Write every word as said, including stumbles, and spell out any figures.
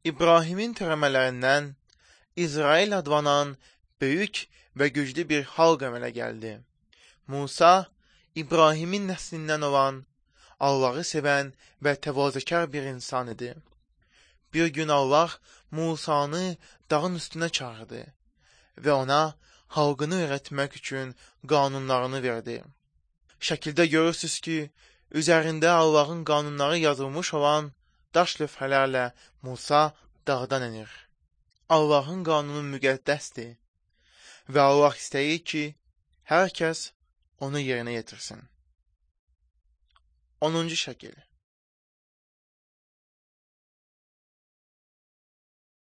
İbrahimin törəmələrindən İsrail adlanan böyük və güclü bir xalq əmələ gəldi. Musa, İbrahimin nəslindən olan, Allahı sevən və təvazökar bir insan idi. Bir gün Allah Musanı dağın üstünə çağırdı və ona xalqını öyrətmək üçün qanunlarını verdi. Şəkildə görürsünüz ki, üzərində Allahın qanunları yazılmış olan daş lövhələrlə Musa dağdan enir. Allahın qanunu müqəddəsdir və Allah istəyir ki, hər kəs onu yerinə yetirsin. onuncu şəkil.